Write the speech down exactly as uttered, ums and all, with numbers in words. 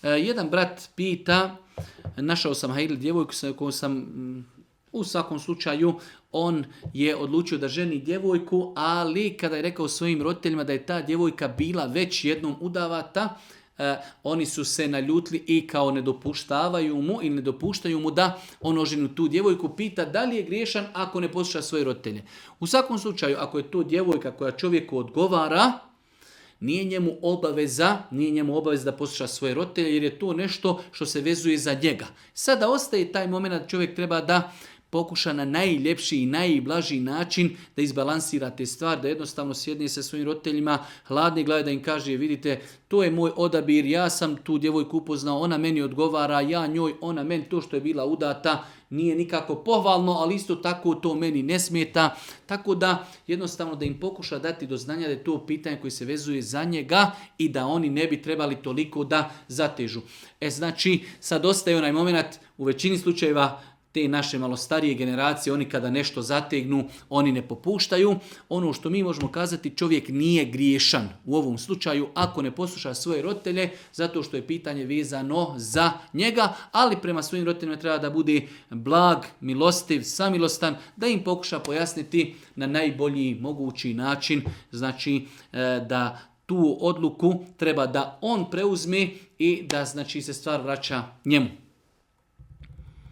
jedan brat pita, našao sam hajli djevojku koju sam, u svakom slučaju, on je odlučio da ženi djevojku, ali kada je rekao svojim roditeljima da je ta djevojka bila već jednom udavata, eh, oni su se naljutili i kao ne dopuštavaju mu ili ne dopuštaju mu da on oženi tu djevojku, pita da li je griješan ako ne posluša svoje roditelje. U svakom slučaju, ako je to djevojka koja čovjeku odgovara, nije njemu obaveza, nije njemu obaveza da posluša svoje roditelje, jer je to nešto što se vezuje za njega. Sada ostaje taj moment da čovjek treba da pokuša na najljepši i najblaži način da izbalansira te stvari, da jednostavno sjedne sa svojim roditeljima hladni glave, da im kaže, vidite, to je moj odabir, ja sam tu djevojku upoznao, ona meni odgovara, ja njoj, ona meni, to što je bila udata nije nikako pohvalno, ali isto tako to meni ne smeta. Tako da jednostavno da im pokuša dati do znanja da je to pitanje koje se vezuje za njega i da oni ne bi trebali toliko da zatežu. E znači, sad ostaje onaj moment, u većini slučajeva te naše malo starije generacije, oni kada nešto zategnu, oni ne popuštaju. Ono što mi možemo kazati, čovjek nije griješan u ovom slučaju ako ne posluša svoje roditelje, zato što je pitanje vezano za njega, ali prema svojim roditeljima treba da bude blag, milostiv, samilostan, da im pokuša pojasniti na najbolji mogući način, znači da tu odluku treba da on preuzme i da znači se stvar vraća njemu.